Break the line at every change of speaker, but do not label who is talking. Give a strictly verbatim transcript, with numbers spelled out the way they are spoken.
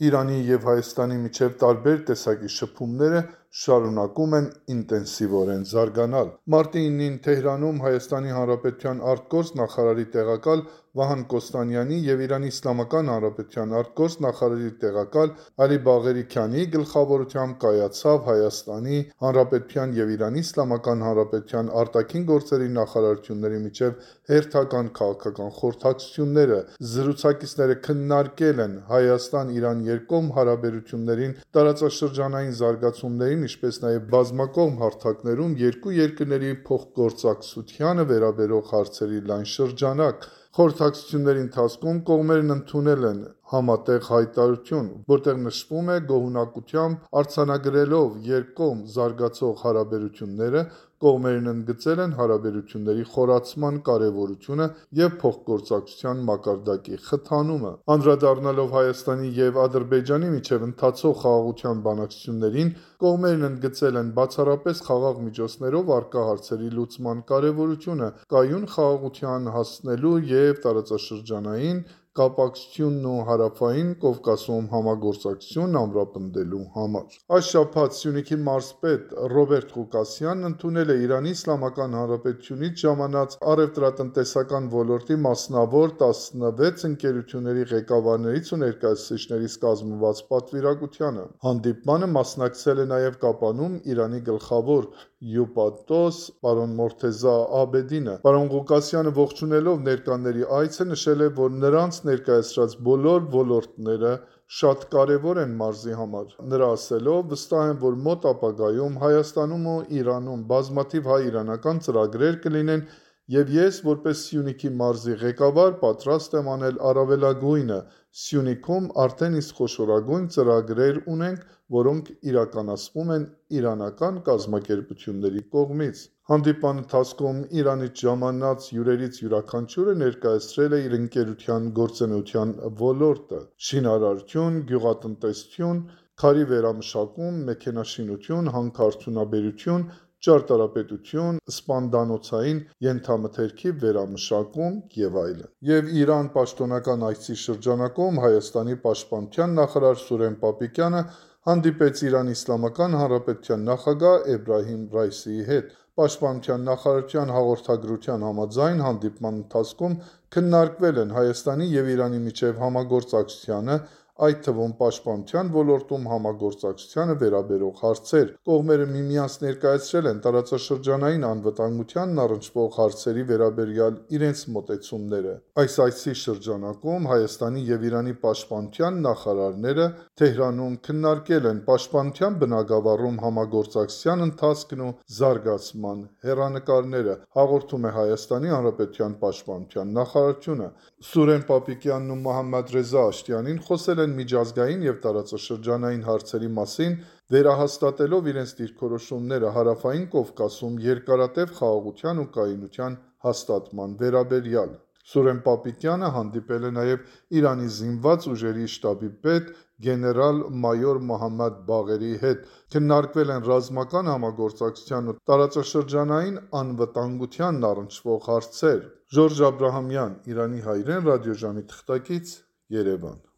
Իրանի և Հայաստանի միջև տարբեր տեսակի շփումները շարունակում են ինտենսիվորեն զարգանալ։ Մարտի իննին Թեհրանում Հայաստանի Հանրապետության ԱԳ նախարարի տեղակալ Վահան Կոստանյանի և Իրանի Իսլամական Հանրապետության ԱԳ նախարարի տեղակալ Ալի Բաղերի Քանի գլխավորությամբ կայացավ Հայաստանի Հանրապետության և Իրանի Իսլամական Հանրապետության արտաքին գործերի նախարարությունների միջև հերթական քաղաքական խորհրդակցությունները։ Զրուցակիցները քննարկել են Հայաստան-Իրան երկկողմ հարաբերություններին, տարածաշրջանային զարգացումներին, ինչպես նաև բազմակողմ հարթակներում երկու երկրների փոխգործակցությանը վերաբերող հարցերի լայն շրջանակ։ Խորհրդակցությունների ընթացքում կողմերն ընդունել են համատեղ հայտարարություն, որտեղ նշվում է գոհունակությամբ արձանագրելով երկկողմ զարգացող հարաբերությունները, կողմերն ընդգծել են հարաբերությունների խորացման կարևորությունը և փոխգործակցության մակարդակի խթանումը։ Անդրադառնալով Հայաստանի և Ադրբեջանի միջև ընթացող խաղաղության բանակցություններին, կողմերն ընդգծել են բացառապես խաղաղ միջոցներով առկա հարցերի լուծման կարևորությունը կայուն խաղաղության հասնելու և տարածաշրջանային կապակցությունն ու Հարավային Կովկասում համագործակցությունն ամրապնդելու համար։ Այս շաբաթ Սյունիքի մարզպետ Ռոբերտ Ղուկասյանն ընդունել է Իրանի Իսլամական Հանրապետությունից ժամանած առևտրատնտեսական ոլորտի մասնավոր տասնվեց ընկերությունների ղեկավարներից ու ներկայացուցիչներից կազմված պատվիրակությանը։ Հանդիպմանը մասնակցել է նաև Կապանում Իրանի գլխավոր հյուպատոս պարոն Մորթեզա Աբեդինը։ Պարոն Ղուկասյանը ողջունելով ներկաների այցը նշել է, որ նրանց ներկայացրած բոլոր ոլորտները շատ կարևոր են մարզի համար։ Նրա ասելով, վստահ եմ, որ մոտ ապագայում Հայաստանում ու Իրանում բազմաթիվ հայ-իրանական ծրագրեր կլինեն, և ես, որպես Սյունիքի մարզի ղեկավար, պատրաստ եմ անել առավելագույնը։ Սյունիքում արդեն իսկ խոշորագույն ծրագրեր ունենք, որոնք իրականացվում են իրանական կազմակերպությունների կողմից։ Հանդիպման ընթացքում Իրանից ժամանած հյուրերից յուրաքանչյուրը ներկայացրել է իր ընկերության գործունեության ոլորտը՝ շինարարություն, գյուղատնտեսություն, քարի վերամշակում, մեքենաշինություն, հանքարդյունաբերություն, ճարտարապետություն, սպանդանոցային ենթամթերքի վերամշակում և այլն։ Եվ Իրան պաշտոնական այցի շրջանակում Հայաստանի պաշտպանության նախարար Սուրեն Պապիկյանը հանդիպեց Իրանի Իսլամական Հանրապետության նախագահ Էբրահիմ Ռայիսիի հետ։ Պաշտպանության նախարարության հաղորդագրության համաձայն, հանդիպման ընթացքում քննարկվել են Հայաստանի և Իրանի միջև համագործակցությանը, այդ թվում պաշտպանության ոլորտում համագործակցությանը վերաբերող հարցեր։ Կողմերը միմյանց ներկայացրել են տարածաշրջանային անվտանգությանն առնչվող հարցերի վերաբերյալ իրենց մոտեցումները։ Այս այցի շրջանակում Հայաստանի և Իրանի պաշտպանության նախարարները Թեհրանում քննարկել են պաշտպանության բնագավառում համագործակցության ընթացքն ու զարգացման հեռանկարները, հաղորդում է Հայաստանի Հանրապետության պաշտպանության նախարարությունը։ Սուրեն Պապիկյանն ու Մոհամմադ Ռեզա Աշտյանին խոսել են միջազգային և տարածաշրջանային հարցերի մասին, վերահաստատելով իրենց դիրքորոշումները Հարավային Կովկասում երկարատև խաղաղության ու կայունության հաստատման վերաբերյալ։ Սուրեն Պապիկյանը հանդիպել է նաև Իրանի զինված ուժերի շտաբի պետ գեներալ-մայոր Մոհամմադ Բաղերիի հետ։ Քննարկվել են ռազմական համագործակցությանն ու տարածաշրջանային անվտանգությանն առնչվող հարցեր։ Ժորժ Աբրահամյան, Իրանի հայրեն ռադիոժամի թղթակից, Երևան։